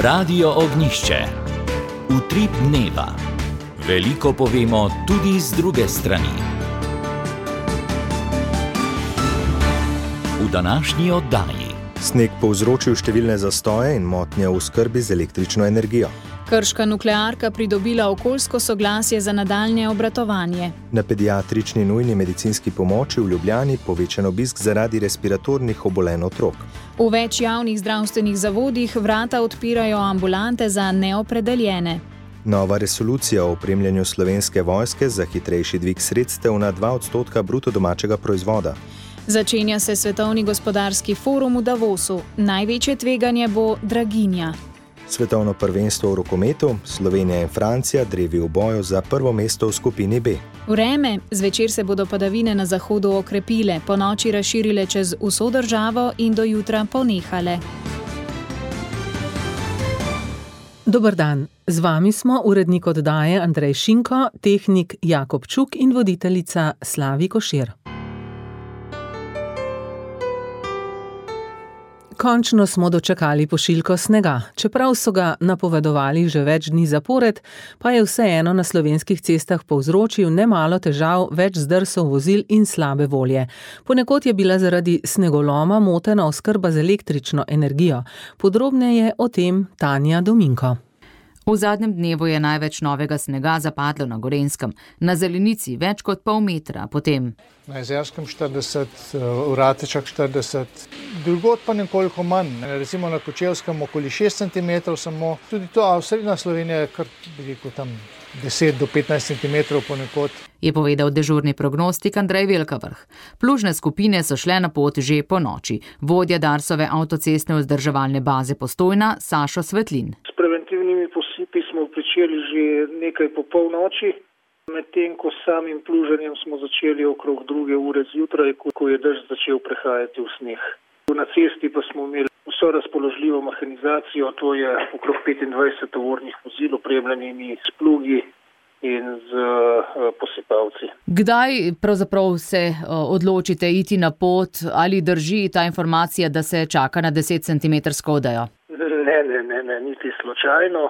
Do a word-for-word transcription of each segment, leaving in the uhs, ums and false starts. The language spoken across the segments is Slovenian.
Radio Ognjišče. Utrip dneva. Veliko povemo tudi z druge strani. V današnji oddaji. Sneg povzročil številne zastoje in motnje v oskrbi z električno energijo. Krška nuklearka pridobila okoljsko soglasje za nadaljnje obratovanje. Na pediatrični nujni medicinski pomoči v Ljubljani povečan obisk zaradi respiratornih obolenj otrok. V več javnih zdravstvenih zavodih vrata odpirajo ambulante za neopredeljene. Nova resolucija o opremljanju Slovenske vojske za hitrejši dvig sredstev na dva odstotka bruto domačega proizvoda. Začenja se Svetovni gospodarski forum v Davosu. Največje tveganje bo draginja. Svetovno prvenstvo v rokometu, Slovenija in Francija drevi v boju za prvo mesto v skupini B. Vreme, zvečer se bodo padavine na zahodu okrepile, ponoči razširile čez vso državo in do jutra ponehale. Dober dan, z vami smo urednik oddaje Andrej Šinko, tehnik Jakob Čuk in voditeljica Slavi Košir. Končno smo dočakali pošiljko snega. Čeprav so ga napovedovali že več dni zapored, pa je vseeno na slovenskih cestah povzročil nemalo težav, več zdrsov vozil in slabe volje. Ponekod je bila zaradi snegoloma motena oskrba z električno energijo. Podrobneje o tem Tanja Dominko. V zadnjem dnevu je največ novega snega zapadlo na Gorenjskem, na zelenici več kot pol metra, potem na Jezerskem štirideset, v Ratečah štirideset, drugod pa nekoliko manj, recimo na Kočevskem okoli šest centimetrov samo, tudi to, a srednja Slovenija je kar, bi rekel, tam deset do petnajst centimetrov ponekod. Je povedal dežurni prognostik Andrej Velkavrh. Plužne skupine so šle na pot že po noči. Vodja Darsove avtocestne vzdrževalne baze Postojna, Sašo Svetlin. S preventivnimi posipi smo pričeli že nekaj po polnoči, medtem ko s samim pluženjem smo začeli okrog druge ure zjutraj, ko je dež začel prehajati v sneg. Na cesti pa smo imeli vso razpoložljivo mehanizacijo, to je okrog petindvajset tovornih vozil, opremljenimi s plugi in z uh, posipavci. Kdaj pravzaprav se uh, odločite iti na pot, ali drži ta informacija, da se čaka na deset centimetrsko odejo? Ne, ne, ne, ne, niti slučajno.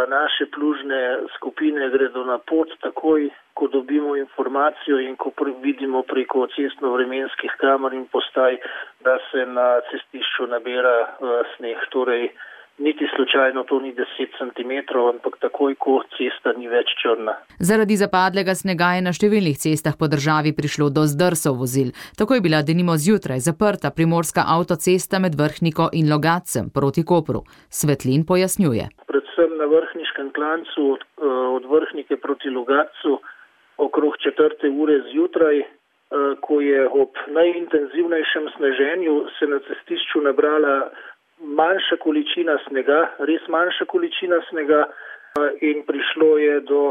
Naše plužne skupine gredo na pot takoj, ko dobimo informacijo in ko vidimo preko cestno-vremenskih kamer in postaj, da se na cestišču nabira uh, sneg. Torej, niti slučajno to ni deset centimetrov, ampak takoj, ko cesta ni več črna. Zaradi zapadlega snega je na številnih cestah po državi prišlo do zdrsov vozil. Tako je bila denimo zjutraj zaprta primorska avtocesta med Vrhniko in Logatcem proti Kopru. Svetlin pojasnjuje. Predvsem na vrhniškem klancu od, od Vrhnike proti Logatcu okrog četrte ure zjutraj, ko je ob najintenzivnejšem sneženju se na cestišču nabrala manjša količina snega, res manjša količina snega in prišlo je do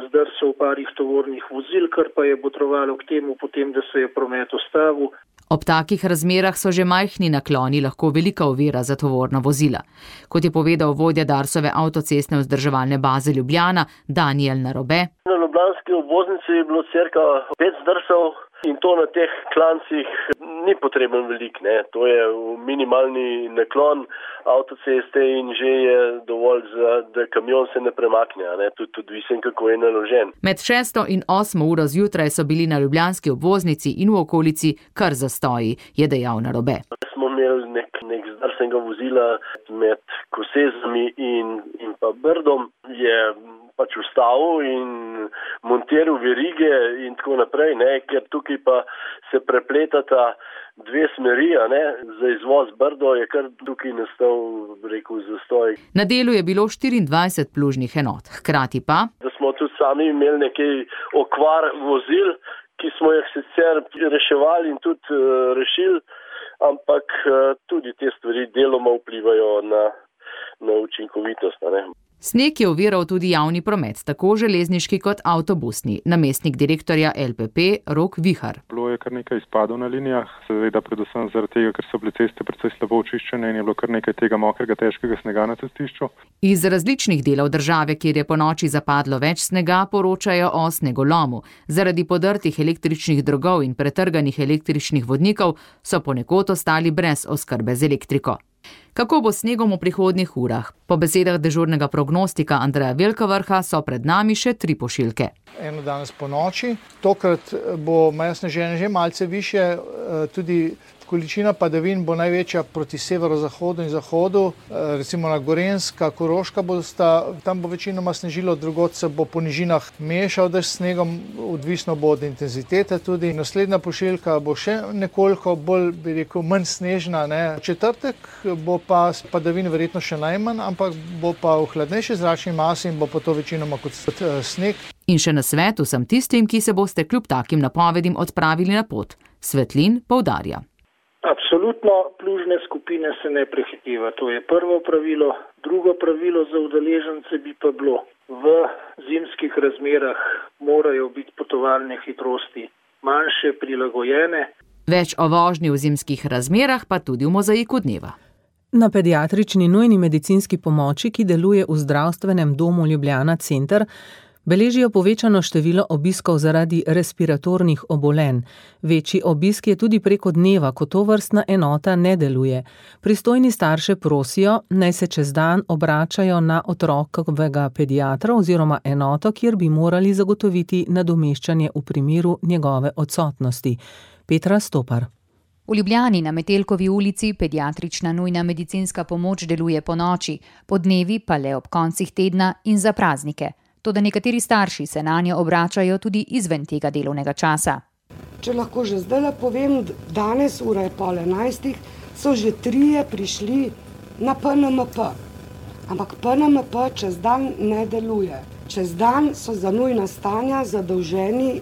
zdrsov parih tovornih vozil, kar pa je botrovalo k temu potem, da se je promet ustavil. Ob takih razmerah so že majhni nakloni lahko velika ovira za tovorna vozila. Kot je povedal vodja Darsove avtocestne vzdrževalne baze Ljubljana, Daniel Narobe. Na ljubljanski obvoznici je bilo cirka pet zdrsov in to na teh klancih ni potreben velik, ne. To je minimalni naklon avtoceste in že je dovolj, za, da kamion se ne premakne, ne. Tudi odvisen, kako je naložen. Med šesto in osmo uro zjutraj so bili na ljubljanski obvoznici in v okolici kar zastoji, je dejal Narobe. Smo imeli nek, nek zdrsenega vozila med Kosezami in, in pa Brdom, je pač ustavil in montiral verige in tako naprej, ne, ker tukaj pa se prepletata dve smeri, ne, za izvoz Brdo je kar tukaj nastal, rekel, zastoj. Na delu je bilo štiriindvajset plužnih enot, hkrati pa, da smo tudi sami imeli nekaj okvar vozil, ki smo jih sicer reševali in tudi uh, rešili, ampak uh, tudi te stvari deloma vplivajo na, na učinkovitost, ne. Sneg je oviral tudi javni promet, tako železniški kot avtobusni. Namestnik direktorja L P P Rok Vihar. Bilo je kar nekaj izpadov na linijah, seveda predvsem zaradi tega, ker so bile ceste precej slabo očiščene in je bilo kar nekaj tega mokrega, težkega snega na cestišču. Iz različnih delov države, kjer je ponoči zapadlo več snega, poročajo o snegolomu. Zaradi podrtih električnih drogov in pretrganih električnih vodnikov so ponekod ostali brez oskrbe z elektriko. Kako bo s snegom v prihodnjih urah? Po besedah dežurnega prognostika Andreja Velkavrha so pred nami še tri pošiljke. Eno danes po noči, tokrat bo meja sneženja že malce više, tudi količina padavin bo največja proti severozahodu in zahodu, recimo na Gorenjska, Koroška bosta, tam bo večinoma snežilo, drugod se bo po nižinah mešal dež s snegom, odvisno bo od intenzitete tudi. Naslednja pošiljka bo še nekoliko bolj, bi rekel, manj snežna, ne. Četrtek bo pa padavin verjetno še najmanj, ampak bo pa v hladnejši zračni masi in bo pa to večinoma kot sneg. In še na svet vsem tistim, ki se boste kljub takim napovedim odpravili na pot. Svetlin poudarja. Absolutno plužne skupine se ne prehiteva, to je prvo pravilo. Drugo pravilo za udeležence bi pa bilo, v zimskih razmerah morajo biti potovalne hitrosti manjše, prilagojene. Več o vožnji v zimskih razmerah pa tudi v mozaiku dneva. Na pediatrični nujni medicinski pomoči, ki deluje v zdravstvenem domu Ljubljana Center, beležijo povečano število obiskov zaradi respiratornih obolenj. Večji obisk je tudi preko dneva, ko tovrstna enota ne deluje. Pristojni starše prosijo, naj se čez dan obračajo na otrokovega pediatra oziroma enoto, kjer bi morali zagotoviti nadomeščanje v primeru njegove odsotnosti. Petra Stopar. V Ljubljani na Metelkovi ulici pediatrična nujna medicinska pomoč deluje po noči, po dnevi pa le ob koncih tedna in za praznike. Toda nekateri starši se nanjo obračajo tudi izven tega delovnega časa. Če lahko že zdaj povem, danes ura je pol enajstih, so že trije prišli na P N M P. Ampak P N M P čez dan ne deluje. Čez dan so za nujna stanja zadolženi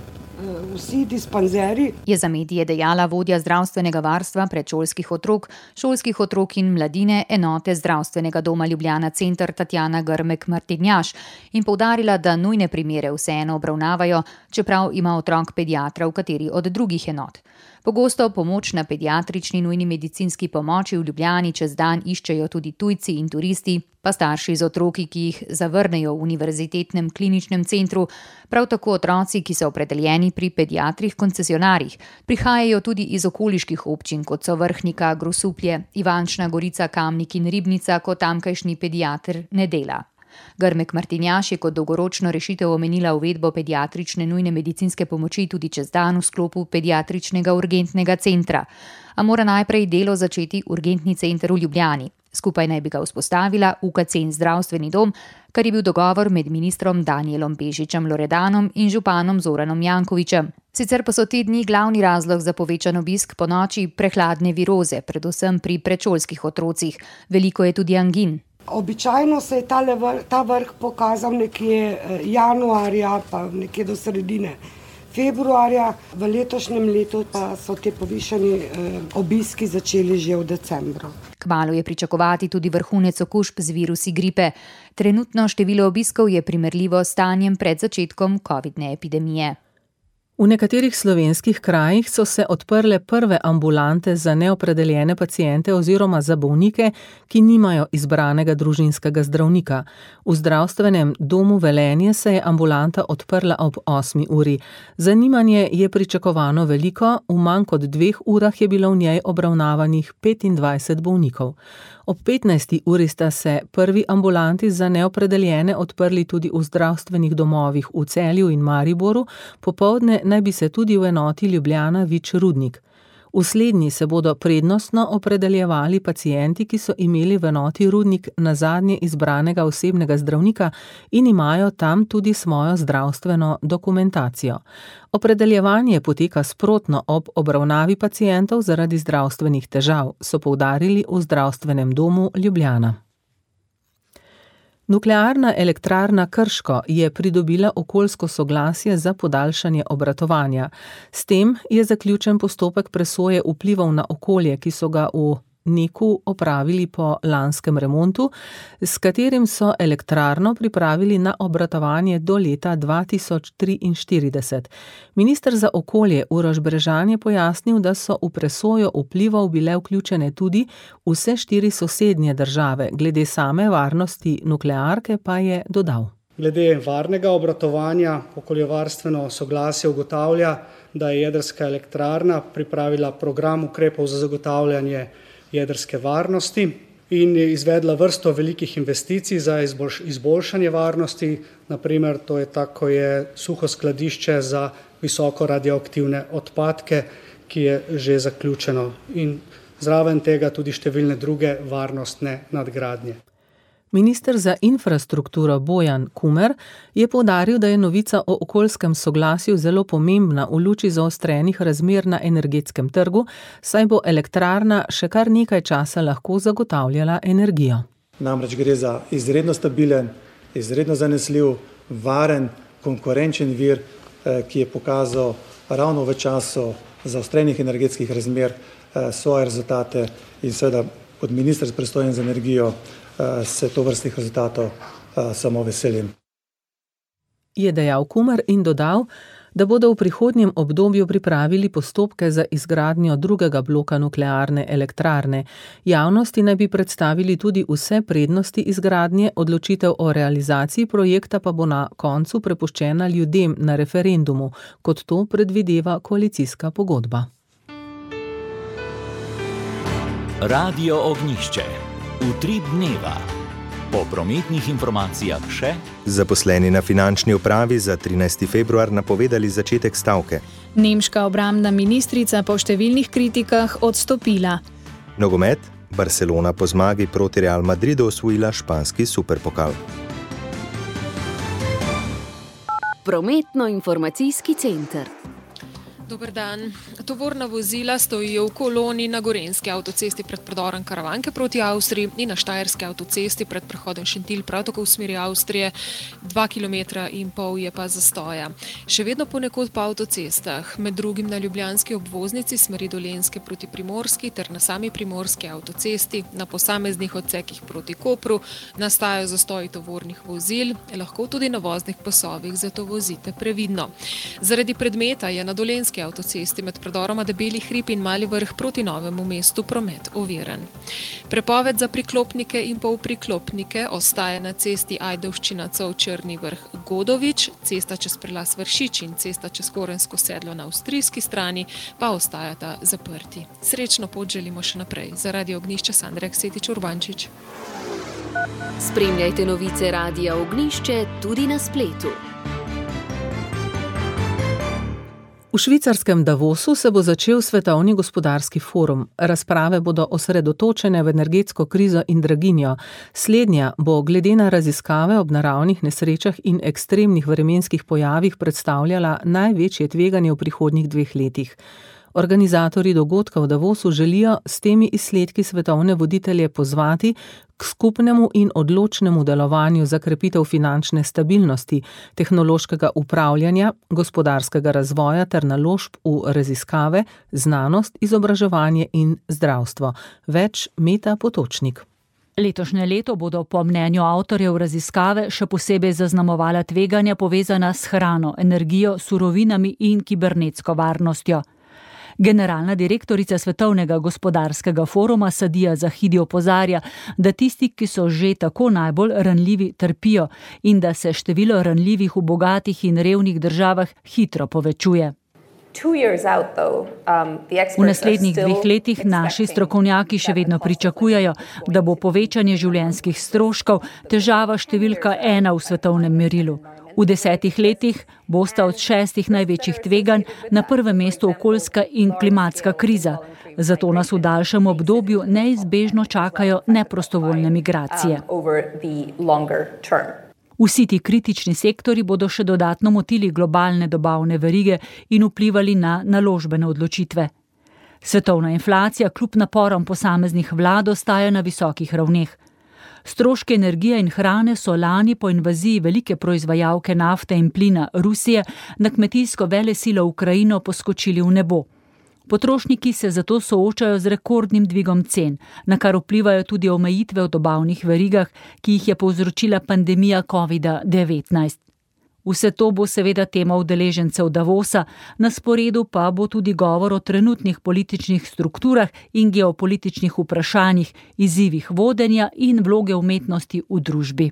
vsi dispanzeri. Je za medije dejala vodja zdravstvenega varstva predšolskih otrok, šolskih otrok in mladine enote zdravstvenega doma Ljubljana Center Tatjana Grmek Martinjaš in poudarila, da nujne primere vseeno obravnavajo, čeprav ima otrok pediatra v kateri od drugih enot. Pogosto pomoč na pediatrični nujni medicinski pomoči v Ljubljani čez dan iščejo tudi tujci in turisti, pa starši z otroki, ki jih zavrnejo v univerzitetnem kliničnem centru, prav tako otroci, ki so opredeljeni pri pediatrih koncesionarjih, prihajajo tudi iz okoliških občin, kot so Vrhnika, Grosuplje, Ivančna Gorica, Kamnik in Ribnica, ko tamkajšnji pediater ne dela. Grmek Martinjaš je kot dolgoročno rešitev omenila uvedbo pediatrične nujne medicinske pomoči tudi čez dan v sklopu pediatričnega urgentnega centra. A mora najprej delo začeti urgentni center v Ljubljani. Skupaj naj bi ga vzpostavila U K C in zdravstveni dom, kar je bil dogovor med ministrom Danielom Bešičem Loredanom in županom Zoranom Jankovićem. Sicer pa so te dni glavni razlog za povečan obisk po noči prehladne viroze, predvsem pri predšolskih otrocih. Veliko je tudi angin. Običajno se je tale vrh, ta vrh pokazal nekje januarja, pa nekje do sredine februarja. V letošnjem letu pa so te povišani eh, obiski začeli že v decembru. Kmalu je pričakovati tudi vrhunec okužb z virusi gripe. Trenutno število obiskov je primerljivo s stanjem pred začetkom covidne epidemije. V nekaterih slovenskih krajih so se odprle prve ambulante za neopredeljene paciente oziroma za bolnike, ki nimajo izbranega družinskega zdravnika. V zdravstvenem domu Velenje se je ambulanta odprla ob osmi uri. Zanimanje je pričakovano veliko, v manj kot dveh urah je bilo v njej obravnavanih petindvajset bolnikov. Ob petnajsti uri sta se prvi ambulanti za neopredeljene odprli tudi v zdravstvenih domovih v Celju in Mariboru, popoldne naj bi se tudi v enoti Ljubljana Vič Rudnik. V slednji se bodo prednostno opredeljevali pacienti, ki so imeli v enoti Rudnik nazadnje izbranega osebnega zdravnika in imajo tam tudi svojo zdravstveno dokumentacijo. Opredeljevanje poteka sprotno ob obravnavi pacientov zaradi zdravstvenih težav, so poudarili v zdravstvenem domu Ljubljana. Nuklearna elektrarna Krško je pridobila okoljsko soglasje za podaljšanje obratovanja. S tem je zaključen postopek presoje vplivov na okolje, ki so ga v Neku opravili po lanskem remontu, s katerim so elektrarno pripravili na obratovanje do leta dva tisoč triinštirideset. Minister za okolje Uroš Brežan je pojasnil, da so v presojo vplivov bile vključene tudi vse štiri sosednje države, glede same varnosti nuklearke pa je dodal. Glede varnega obratovanja okoljevarstveno soglasje ugotavlja, da je jedrska elektrarna pripravila program ukrepov za zagotavljanje jedrske varnosti. in je izvedla vrsto velikih investicij za izboljšanje varnosti. Naprimer, to je tako, je suho skladišče za visoko radioaktivne odpadke, ki je že zaključeno, in zraven tega tudi številne druge varnostne nadgradnje. Minister za infrastrukturo Bojan Kumer je poudaril, da je novica o okoljskem soglasju zelo pomembna v luči zaostrenih razmer na energetskem trgu, saj bo elektrarna še kar nekaj časa lahko zagotavljala energijo. Namreč gre za izredno stabilen, izredno zanesljiv, varen, konkurenčen vir, ki je pokazal ravno v času zaostrenih energetskih razmer svoje rezultate, in seveda kot minister pristojen za energijo se to vrstnih rezultatov samo veselim. Je dejal Kumer in dodal, da bodo v prihodnjem obdobju pripravili postopke za izgradnjo drugega bloka nuklearne elektrarne. Javnosti naj bi predstavili tudi vse prednosti izgradnje, odločitev o realizaciji projekta pa bo na koncu prepuščena ljudem na referendumu, kot to predvideva koalicijska pogodba. Radio Ognjišče. Utrip dneva. Po prometnih informacijah še. Zaposleni na finančni upravi za trinajsti februar napovedali začetek stavke. Nemška obrambna ministrica po številnih kritikah odstopila. Nogomet. Barcelona po zmagi proti Real Madridu osvojila španski superpokal. Prometno-informacijski center. Dober dan. Tovorna vozila stojijo v koloni na Gorenjski avtocesti pred predorom Karavanke proti Avstriji in na Štajerski avtocesti pred prehodom Šentilj, prav tako v smeri Avstrije. Dva kilometra in pol je pa zastoja. Še vedno ponekod po avtocestah, med drugim na ljubljanski obvoznici smeri Dolenjske proti Primorski ter na sami Primorski avtocesti, na posameznih odsekih proti Kopru, nastajajo zastoji tovornih vozil, lahko tudi na voznih pasovih, zato vozite previdno. Zaradi predmeta je na Dolenjski avtocesti med predoroma Debeli hrib in Mali vrh proti Novemu mestu promet oviran. Prepoved za priklopnike in polpriklopnike ostaja na cesti Ajdovščina-Cov-Črni vrh Godovič, cesta čez prelas Vršič in cesta čez Korensko sedlo na avstrijski strani pa ostajata zaprti. Srečno pot želimo še naprej. Za Radio Ognjišče Sandra Aksetič Urbančič. Spremljajte novice Radia Ognjišče tudi na spletu. V švicarskem Davosu se bo začel svetovni gospodarski forum. Razprave bodo osredotočene v energetsko krizo in draginjo. Slednja bo glede na raziskave ob naravnih nesrečah in ekstremnih vremenskih pojavih predstavljala največje tveganje v prihodnjih dveh letih. Organizatorji dogodka v Davosu želijo s temi izsledki svetovne voditelje pozvati k skupnemu in odločnemu delovanju za krepitev finančne stabilnosti, tehnološkega upravljanja, gospodarskega razvoja ter naložb v raziskave, znanost, izobraževanje in zdravstvo. Več Meta Potočnik. Letošnje leto bodo po mnenju avtorjev raziskave še posebej zaznamovala tveganja povezana s hrano, energijo, surovinami in kibernetsko varnostjo. Generalna direktorica Svetovnega gospodarskega foruma Sadija Zahidi opozarja, da tisti, ki so že tako najbolj ranljivi, trpijo in da se število ranljivih v bogatih in revnih državah hitro povečuje. V naslednjih dveh letih naši strokovnjaki še vedno pričakujejo, da bo povečanje življenjskih stroškov težava številka ena v svetovnem merilu. V desetih letih bosta od šestih največjih tveganj na prvem mestu okoljska in klimatska kriza. Zato nas v daljšem obdobju neizbežno čakajo neprostovoljne migracije. Vsi ti kritični sektori bodo še dodatno motili globalne dobavne verige in vplivali na naložbene odločitve. Svetovna inflacija kljub naporom posameznih vlad ostaja na visokih ravneh. Stroške energije in hrane so lani po invaziji velike proizvajalke nafte in plina Rusije na kmetijsko velesilo Ukrajino poskočili v nebo. Potrošniki se zato soočajo z rekordnim dvigom cen, na kar vplivajo tudi omejitve v dobavnih verigah, ki jih je povzročila pandemija kovida devetnajst. Vse to bo seveda tema udeležencev Davosa, na sporedu pa bo tudi govor o trenutnih političnih strukturah in geopolitičnih vprašanjih, izzivih vodenja in vloge umetnosti v družbi.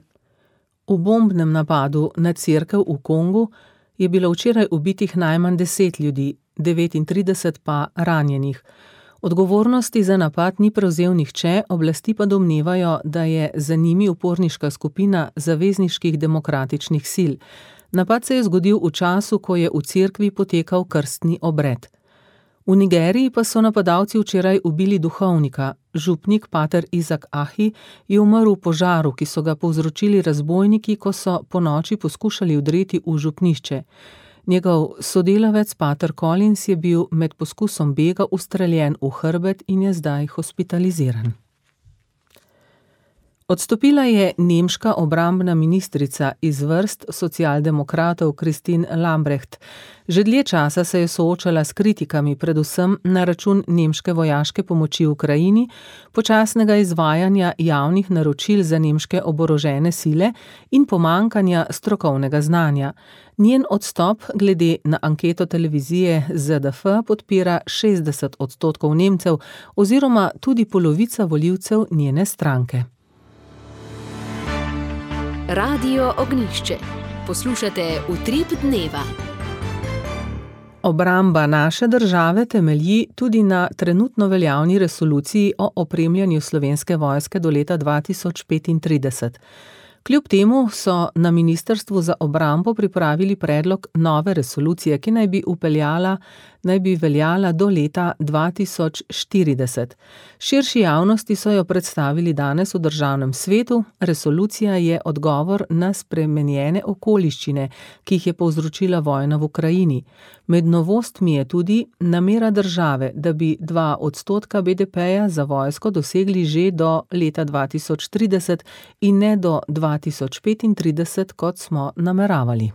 V bombnem napadu na cerkev v Kongu je bilo včeraj ubitih najmanj deset ljudi, devetintrideset pa ranjenih. Odgovornosti za napad ni prevzel nihče, oblasti pa domnevajo, da je za njimi uporniška skupina zavezniških demokratičnih sil. Napad se je zgodil v času, ko je v cerkvi potekal krstni obred. V Nigeriji pa so napadalci včeraj ubili duhovnika. Župnik pater Izak Ahi je umrl v požaru, ki so ga povzročili razbojniki, ko so ponoči poskušali vdreti v župnišče. Njegov sodelavec pater Collins je bil med poskusom bega ustreljen v hrbet in je zdaj hospitaliziran. Odstopila je nemška obrambna ministrica iz vrst socialdemokratov Christine Lambrecht. Že dlje časa se je soočala s kritikami, predvsem na račun nemške vojaške pomoči Ukrajini, počasnega izvajanja javnih naročil za nemške oborožene sile in pomankanja strokovnega znanja. Njen odstop glede na anketo televizije Z D F podpira šestdeset odstotkov Nemcev oziroma tudi polovica volivcev njene stranke. Radio Ognjišče. Poslušate Utrip dneva. Obramba naše države temelji tudi na trenutno veljavni resoluciji o opremljanju Slovenske vojske do leta dva tisoč petintrideset. Kljub temu so na Ministrstvu za obrambo pripravili predlog nove resolucije, ki naj bi upeljala, naj bi veljala do leta dva tisoč štirideset. Širši javnosti so jo predstavili danes v Državnem svetu. Resolucija je odgovor na spremenjene okoliščine, ki jih je povzročila vojna v Ukrajini. Med novostmi je tudi namera države, da bi dva odstotka B D P-ja za vojsko dosegli že do leta dva tisoč trideset in ne do dva tisoč petintrideset, kot smo nameravali.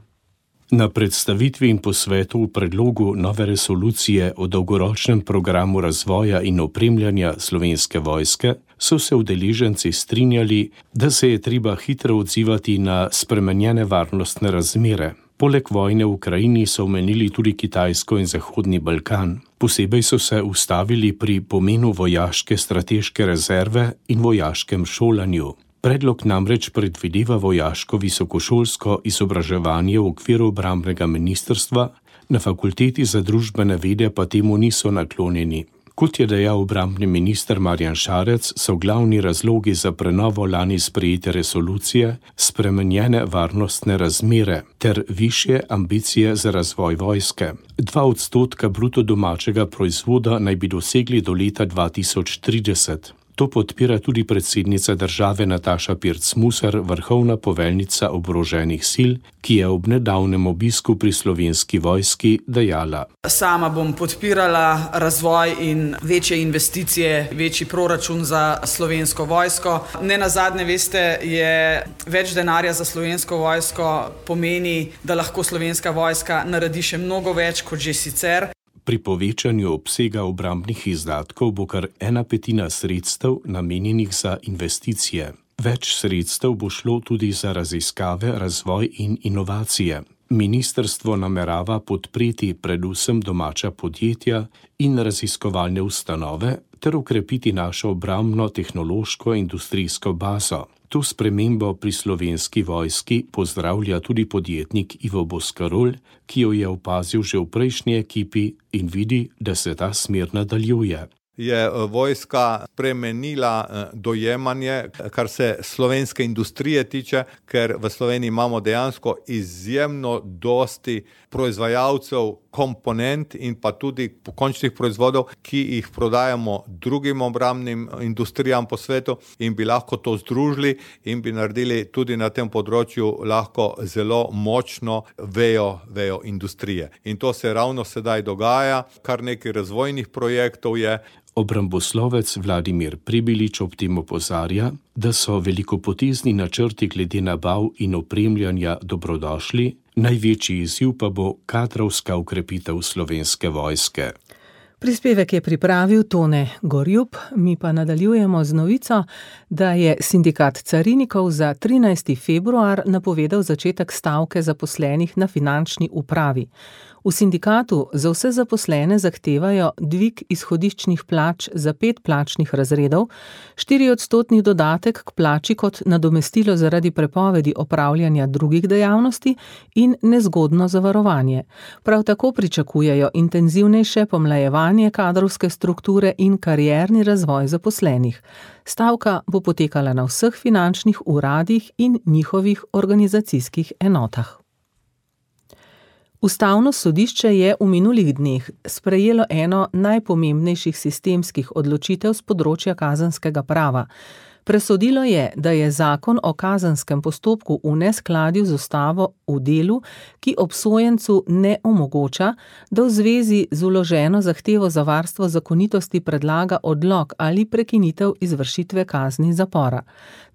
Na predstavitvi in posvetu v predlogu nove resolucije o dolgoročnem programu razvoja in opremljanja Slovenske vojske so se udeleženci strinjali, da se je treba hitro odzivati na spremenjene varnostne razmere. Poleg vojne v Ukrajini so omenili tudi Kitajsko in Zahodni Balkan. Posebej so se ustavili pri pomenu vojaške strateške rezerve in vojaškem šolanju. Predlog namreč predvideva vojaško visokošolsko izobraževanje v okviru obrambnega ministrstva, na fakulteti za družbene vede pa temu niso naklonjeni. Kot je dejal obrambni minister Marjan Šarec, so glavni razlogi za prenovo lani sprejete resolucije spremenjene varnostne razmere ter višje ambicije za razvoj vojske. Dva odstotka bruto domačega proizvoda naj bi dosegli do leta dva tisoč trideset. To podpira tudi predsednica države Nataša Pirc-Musar, vrhovna poveljnica oboroženih sil, ki je ob nedavnem obisku pri Slovenski vojski dejala: Sama bom podpirala razvoj in večje investicije, večji proračun za Slovensko vojsko. Ne nazadnje, veste, je več denarja za Slovensko vojsko pomeni, da lahko Slovenska vojska naredi še mnogo več kot že sicer. Pri povečanju obsega obrambnih izdatkov bo kar ena petina sredstev namenjenih za investicije. Več sredstev bo šlo tudi za raziskave, razvoj in inovacije. Ministrstvo namerava podpreti predvsem domača podjetja in raziskovalne ustanove ter ukrepiti našo obrambno tehnološko industrijsko bazo. To spremembo pri Slovenski vojski pozdravlja tudi podjetnik Ivo Boskarol, ki jo je opazil že v prejšnji ekipi in vidi, da se ta smer nadaljuje. Je vojska spremenila dojemanje, kar se slovenske industrije tiče, ker v Sloveniji imamo dejansko izjemno dosti proizvajalcev komponent in pa tudi končnih proizvodov, ki jih prodajamo drugim obrambnim industrijam po svetu in bi lahko to združili in bi naredili tudi na tem področju lahko zelo močno vejo, vejo industrije. In to se ravno sedaj dogaja, kar nekaj razvojnih projektov je. Obramboslovec Vladimir Pribilič ob tem opozarja, da so velikopotezni načrti glede nabav in opremljanja dobrodošli, največji izziv pa bo kadrovska ukrepitev Slovenske vojske. Prispevek je pripravil Tone Gorjup, mi pa nadaljujemo z novico, da je sindikat carinikov za trinajsti februar napovedal začetek stavke zaposlenih na finančni upravi. V sindikatu za vse zaposlene zahtevajo dvig izhodiščnih plač za pet plačnih razredov, štiri odstotni dodatek k plači kot nadomestilo zaradi prepovedi opravljanja drugih dejavnosti in nezgodno zavarovanje. Prav tako pričakujejo intenzivnejše pomlajevanje oblikovanje kadrovske strukture in karierni razvoj zaposlenih. Stavka bo potekala na vseh finančnih uradih in njihovih organizacijskih enotah. Ustavno sodišče je v minulih dneh sprejelo eno najpomembnejših sistemskih odločitev z področja kazenskega prava. Presodilo je, da je zakon o kazenskem postopku v neskladju z ustavo v delu, ki obsojencu ne omogoča, da v zvezi z vloženo zahtevo za varstvo zakonitosti predlaga odlog ali prekinitev izvršitve kazni zapora.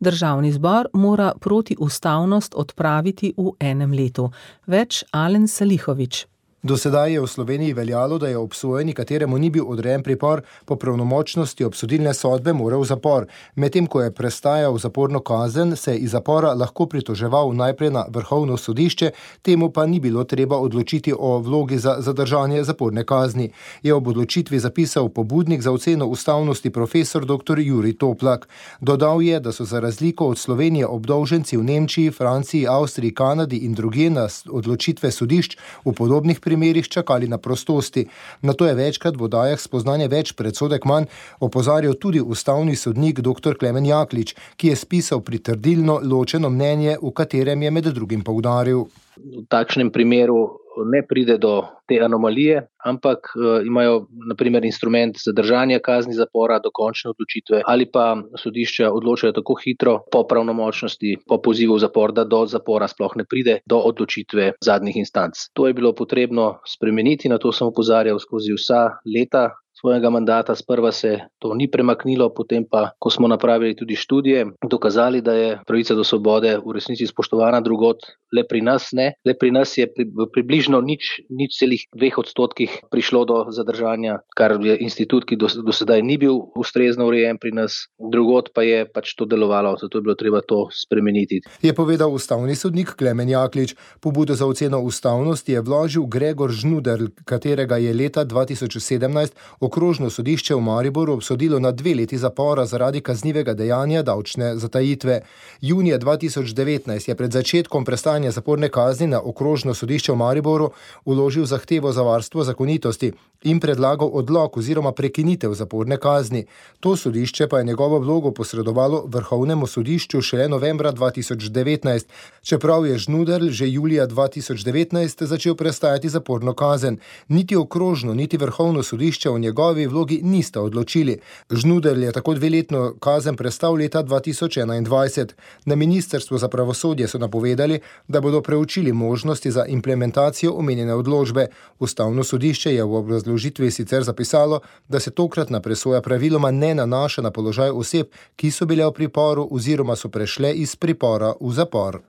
Državni zbor mora protiustavnost odpraviti v enem letu. Več Alen Salihović. Do sedaj je v Sloveniji veljalo, da je obsojeni, kateremu ni bil odrejen pripor, po pravnomočnosti obsodilne sodbe moral v zapor. Medtem ko je prestajal zaporno kazen, se je iz zapora lahko pritoževal najprej na Vrhovno sodišče, temu pa ni bilo treba odločiti o vlogi za zadržanje zaporne kazni. Je ob odločitvi zapisal pobudnik za oceno ustavnosti profesor doktor Jurij Toplak. Dodal je, da so za razliko od Slovenije obdolženci v Nemčiji, Franciji, Avstriji, Kanadi in drugje na odločitve sodišč v podobnih primerih čakali na prostosti. Na to je večkrat v oddajah spoznanje več predsodek manj opozarjal tudi ustavni sodnik doktor Klemen Jaklič, ki je spisal pritrdilno ločeno mnenje, v katerem je med drugim poudaril. V takšnem primeru ne pride do te anomalije, ampak uh, imajo na primer instrument zadržanja kazni zapora do končne odločitve ali pa sodišča odločajo tako hitro po pravnomočnosti, po pozivu v zapor, da do zapora sploh ne pride do odločitve zadnjih instanc. To je bilo potrebno spremeniti, na to sem opozarjal skozi vsa leta svojega mandata. Sprva se to ni premaknilo, potem pa, ko smo napravili tudi študije, dokazali, da je pravica do svobode v resnici spoštovana drugod, le pri nas ne. Le pri nas je pri, približno nič, nič celih dveh odstotkih prišlo do zadržanja, kar je institut, ki do, do sedaj ni bil ustrezno urejen pri nas, drugod pa je pač to delovalo, zato je bilo treba to spremeniti. Je povedal ustavni sodnik Klemen Jaklič. Pobudo za oceno ustavnosti je vložil Gregor Žnuderl, katerega je leta dva tisoč sedemnajst Okrožno sodišče v Mariboru obsodilo na dve leti zapora zaradi kaznivega dejanja davčne zatajitve. Junija dva tisoč devetnajst je pred začetkom prestajanja zaporne kazni na Okrožno sodišče v Mariboru vložil zahtevo za varstvo zakonitosti in predlagal odlog oziroma prekinitev zaporne kazni. To sodišče pa je njegovo vlogo posredovalo Vrhovnemu sodišču šele novembra dva tisoč devetnajst, čeprav je Žnuderl že julija dva tisoč devetnajst začel prestajati zaporno kazen. Niti Okrožno, niti Vrhovno sodišče o njegovi vlogi nista odločili. Žnuderl je tako dveletno kazen prestal leta dva tisoč enaindvajset. Na Ministrstvu za pravosodje so napovedali, da bodo preučili možnosti za implementacijo omenjene odločbe. Ustavno sodišče je v obrazložitvi sicer zapisalo, da se tokratna presoja praviloma ne nanaša na položaj oseb, ki so bile v priporu oziroma so prešle iz pripora v zapor.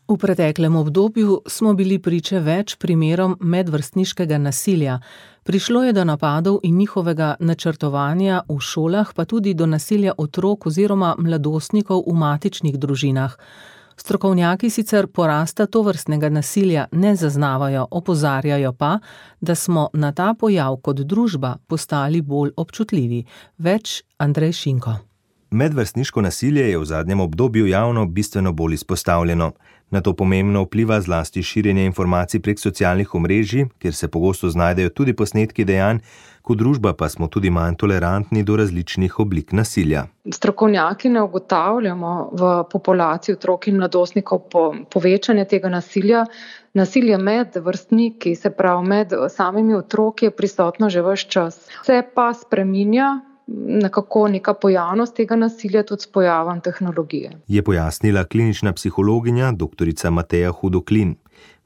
V preteklem obdobju smo bili priče več primerom medvrstniškega nasilja. Prišlo je do napadov in njihovega načrtovanja v šolah, pa tudi do nasilja otrok oziroma mladostnikov v matičnih družinah. Strokovnjaki sicer porasta tovrstnega nasilja ne zaznavajo, opozarjajo pa, da smo na ta pojav kot družba postali bolj občutljivi. Več Andrej Šinko. Medvrstniško nasilje je v zadnjem obdobju javno bistveno bolj izpostavljeno. Na to pomembno vpliva zlasti širjenje informacij prek socialnih omrežij, kjer se pogosto znajdejo tudi posnetki dejanj, kot družba pa smo tudi manj tolerantni do različnih oblik nasilja. Strokovnjaki ne ugotavljamo v populaciji otrok in mladostnikov po povečanje tega nasilja. Nasilje med vrstniki, se pravi med samimi otroki, je prisotno že ves čas. Se pa spreminja nekako neka pojavnost tega nasilja tudi s pojavom tehnologije. Je pojasnila klinična psihologinja doktorica Mateja Hudoklin.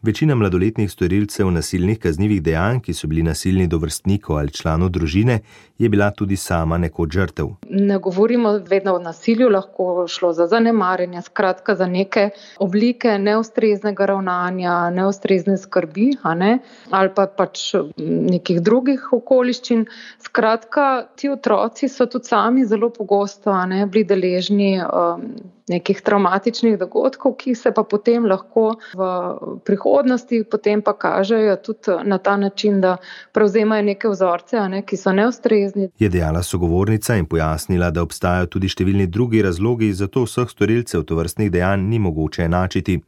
Večina mladoletnih storilcev nasilnih kaznivih dejanj, ki so bili nasilni do vrstnikov ali članov družine, je bila tudi sama nekoč žrtev. Ne govorimo vedno o nasilju, lahko šlo za zanemarjanje, skratka za neke oblike neustreznega ravnanja, neustrezne skrbi, a ne, ali pa pač nekih drugih okoliščin. Skratka, ti otroci so tudi sami zelo pogosto, a ne, bili deležni um, nekih travmatičnih dogodkov, ki se pa potem lahko v prihodnosti potem pa kažejo tudi na ta način, da prevzemajo neke vzorce, a ne, ki so neustrezni. Je dejala sogovornica in pojasnila, da obstajajo tudi številni drugi razlogi, zato vseh storilcev tovrstnih dejanj ni mogoče enačiti.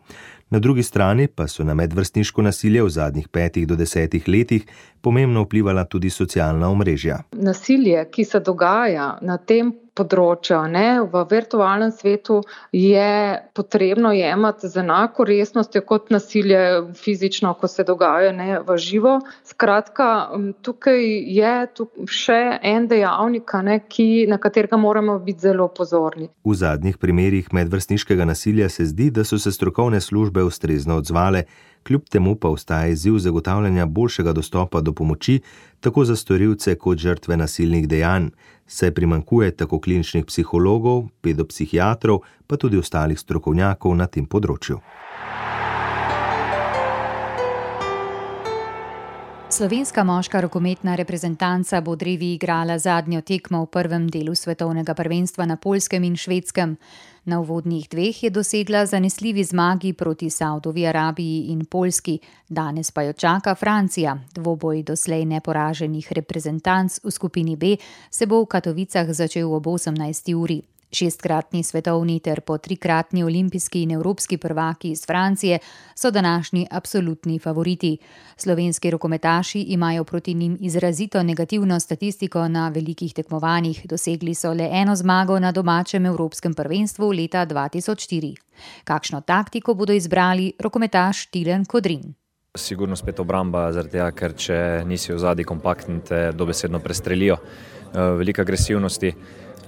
Na drugi strani pa so na medvrstniško nasilje v zadnjih petih do desetih letih pomembno vplivala tudi socialna omrežja. Nasilje, ki se dogaja na tem področju, ne, v virtualnem svetu, je potrebno jemati z enako resnostjo kot nasilje fizično, ko se dogaja, ne, v živo. Skratka, tukaj je tukaj še en dejavnik, ne, ki, na katerega moramo biti zelo pozorni. V zadnjih primerih medvrstniškega nasilja se zdi, da so se strokovne službe ustrezno odzvale, kljub temu pa ostaja izziv zagotavljanja boljšega dostopa do pomoči tako za storilce kot žrtve nasilnih dejanj, saj primanjkuje tako kliničnih psihologov, pedopsihiatrov, pa tudi ostalih strokovnjakov na tem področju. Slovenska moška rokometna reprezentanca bo drevi igrala zadnjo tekmo v prvem delu svetovnega prvenstva na Poljskem in Švedskem. Na uvodnih dveh je dosegla zanesljivi zmagi proti Saudovi Arabiji in Poljski, danes pa jo čaka Francija. Dvoboj doslej neporaženih reprezentanc v skupini B se bo v Katovicah začel ob osemnajsti uri. Šestkratni svetovni ter po trikratni olimpijski in evropski prvaki iz Francije so današnji absolutni favoriti. Slovenski rokometaši imajo proti njim izrazito negativno statistiko na velikih tekmovanjih, dosegli so le eno zmago na domačem evropskem prvenstvu leta dva tisoč štiri. Kakšno taktiko bodo izbrali, rokometaš Tilen Kodrin. Sigurno spet obramba, zaradi tega, ker če nisi v zadnji kompaktni, te dobesedno prestrelijo. Velika agresivnosti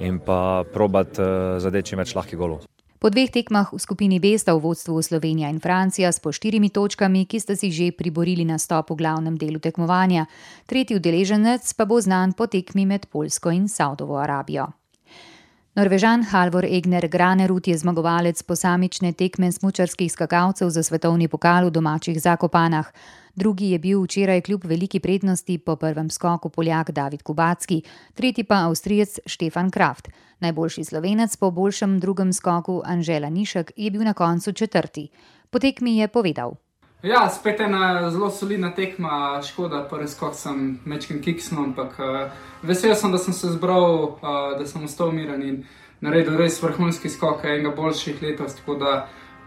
in pa probat zadeči več lahkih golov. Po dveh tekmah v skupini B sta v vodstvu Slovenija in Francija s po štirimi točkami, ki sta si že priborili nastop v glavnem delu tekmovanja. Tretji udeleženec pa bo znan po tekmi med Poljsko in Saudovo Arabijo. Norvežan Halvor Egner Granerud je zmagovalec posamične tekme smučarskih skakalcev za svetovni pokal v domačih Zakopanah. Drugi je bil včeraj kljub veliki prednosti po prvem skoku Poljak David Kubacki, tretji pa Avstrijec Stefan Kraft. Najboljši Slovenec po boljšem drugem skoku Anže Lanišek je bil na koncu četrti. Po tekmi je povedal. Ja, spet ena zelo solidna tekma, škoda, prvi skok sem mečken kiksnil, ampak uh, vesel sem, da sem se zbral, uh, da sem ostal miren in naredil res vrhunski skok, enega boljših letos, tako da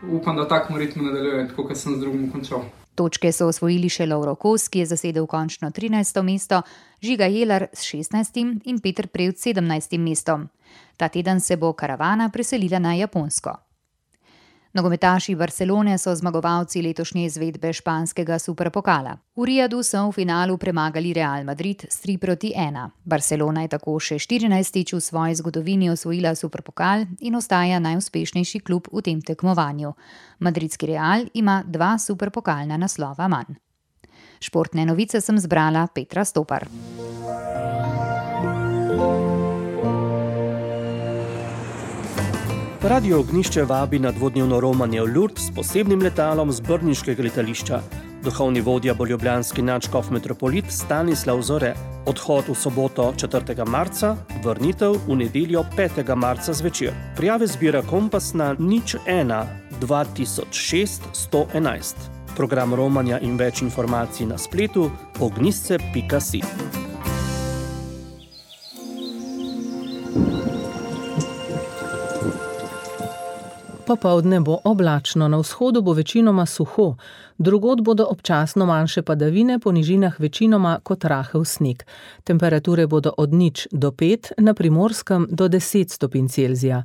upam, da v takem ritmu nadaljujem, tako kot sem z drugim končal. Točke so osvojili še Lovro Kos, ki je zasedel končno trinajsto mesto, Žiga Jelar s šestnajstim in Peter Prevc s sedemnajstim mestom. Ta teden se bo karavana preselila na Japonsko. Nogometaši Barcelone so zmagovalci letošnje izvedbe španskega superpokala. V Rijadu so v finalu premagali Real Madrid s tri proti ena. Barcelona je tako še štirinajstič v svoji zgodovini osvojila superpokal in ostaja najuspešnejši klub v tem tekmovanju. Madridski Real ima dva superpokalna naslova manj. Športne novice sem zbrala Petra Stopar. Radio Ognjišče vabi na dvodnevno romanje v Lourdes s posebnim letalom z brniškega letališča. Duhovni vodja bo ljubljanski nadškof metropolit Stanislav Zore. Odhod v soboto četrtega marca, vrnitev v nedeljo petega marca zvečer. Prijave zbira Kompas na nič ena dva tisoč šest sto enajst. Program romanja in več informacij na spletu ognjišče pika si. Popoldne bo oblačno, na vzhodu bo večinoma suho, drugod bodo občasno manjše padavine, po nižinah večinoma kot rahel sneg. Temperature bodo od nič do pet, na Primorskem do deset stopinj Celzija.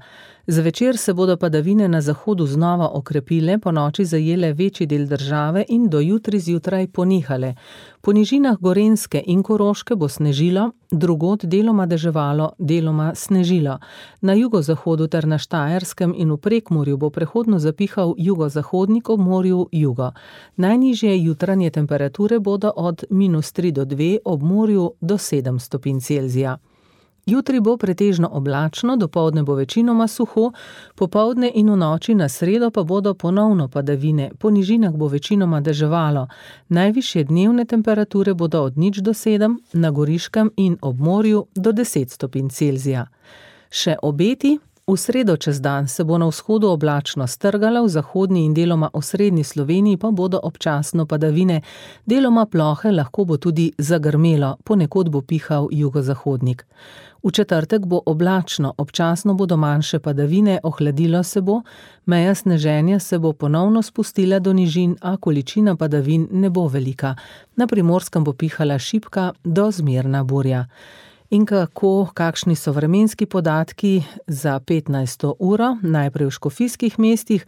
Zvečer se bodo padavine na zahodu znova okrepile, po noči zajele večji del države in do jutri zjutraj ponehale. Po nižinah Gorenjske in Koroške bo snežilo, drugod deloma deževalo, deloma snežilo. Na jugozahodu ter na Štajerskem in v Prekmurju bo prehodno zapihal jugozahodnik, ob morju jugo. Najnižje jutranje temperature bodo od minus tri do dve, ob morju do sedem stopinj Celzija. Jutri bo pretežno oblačno, dopoldne bo večinoma suho, popoldne in v noči na sredo pa bodo ponovno padavine, po nižinah bo večinoma deževalo. Najvišje dnevne temperature bodo od nič do sedem, na Goriškem in ob morju do deset stopinj Celzija. Še obeti: V sredo čez dan se bo na vzhodu oblačno strgalo, v zahodni in deloma osrednji Sloveniji pa bodo občasno padavine, deloma plohe, lahko bo tudi zagrmelo, ponekod bo pihal jugozahodnik. V četrtek bo oblačno, občasno bodo manjše padavine, ohladilo se bo, meja sneženja se bo ponovno spustila do nižin, a količina padavin ne bo velika. Na Primorskem bo pihala šibka do zmerna burja. In kako, kakšni so vremenski podatki za petnajsto uro, najprej v škofijskih mestih,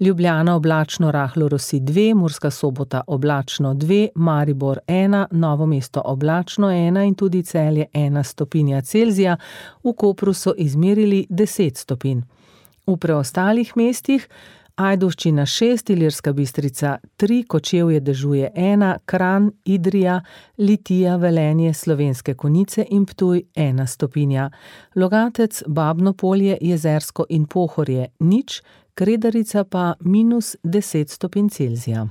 Ljubljana oblačno, rahlo rosi dve, Murska Sobota oblačno dve, Maribor ena, Novo mesto oblačno ena in tudi Celje ena stopinja Celzija, v Kopru so izmerili deset stopinj. V preostalih mestih Ajdovščina šest, Ilirska Bistrica tri, Kočevje dežuje ena, Kranj, Idrija, Litija, Velenje, Slovenske Konjice in Ptuj ena stopinja. Logatec, Babno Polje, Jezersko in Pohorje nič, Kredarica pa minus deset stopinj Celzija.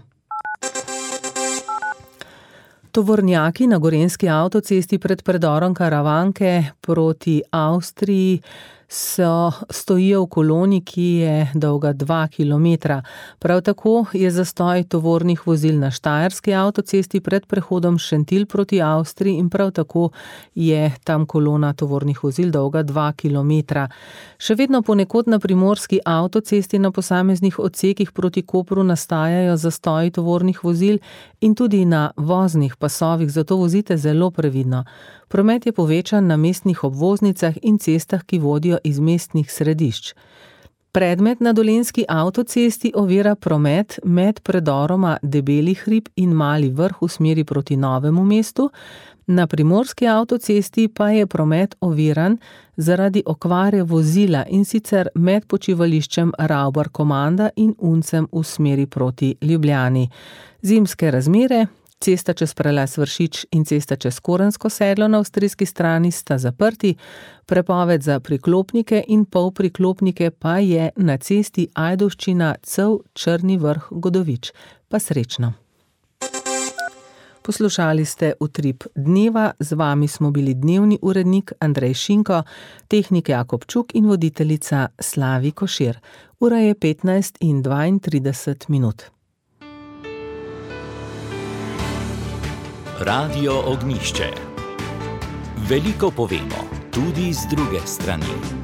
Tovornjaki na gorenjski avtocesti pred predorom Karavanke proti Avstriji so stojijo v koloni, ki je dolga dva kilometra. Prav tako je zastoj tovornih vozil na štajerski avtocesti pred prehodom Šentilj proti Avstriji in prav tako je tam kolona tovornih vozil dolga dva kilometra. Še vedno ponekod na primorski avtocesti na posameznih odsekih proti Kopru nastajajo zastoji tovornih vozil in tudi na voznih pasovih, zato vozite zelo previdno. Promet je povečan na mestnih obvoznicah in cestah, ki vodijo iz mestnih središč. Predmet na dolenjski avtocesti ovira promet med predoroma Debeli hrib in Mali vrh v smeri proti Novemu mestu, na primorski avtocesti pa je promet oviran zaradi okvare vozila in sicer med počivališčem Ravbar Komanda in Uncem v smeri proti Ljubljani. Zimske razmere. Cesta čez prelaz Vršič in cesta čez Korensko sedlo na avstrijski strani sta zaprti, prepoved za priklopnike in polpriklopnike pa je na cesti Ajdovščina Cev Črni vrh Godovič. Pa srečno. Poslušali ste Utrip dneva, z vami smo bili dnevni urednik Andrej Šinko, tehnik Jakob Čuk in voditeljica Slavi Košir. Ura je petnajst in dvaintrideset minut. Radio Ognjišče. Veliko povemo, tudi z druge strani.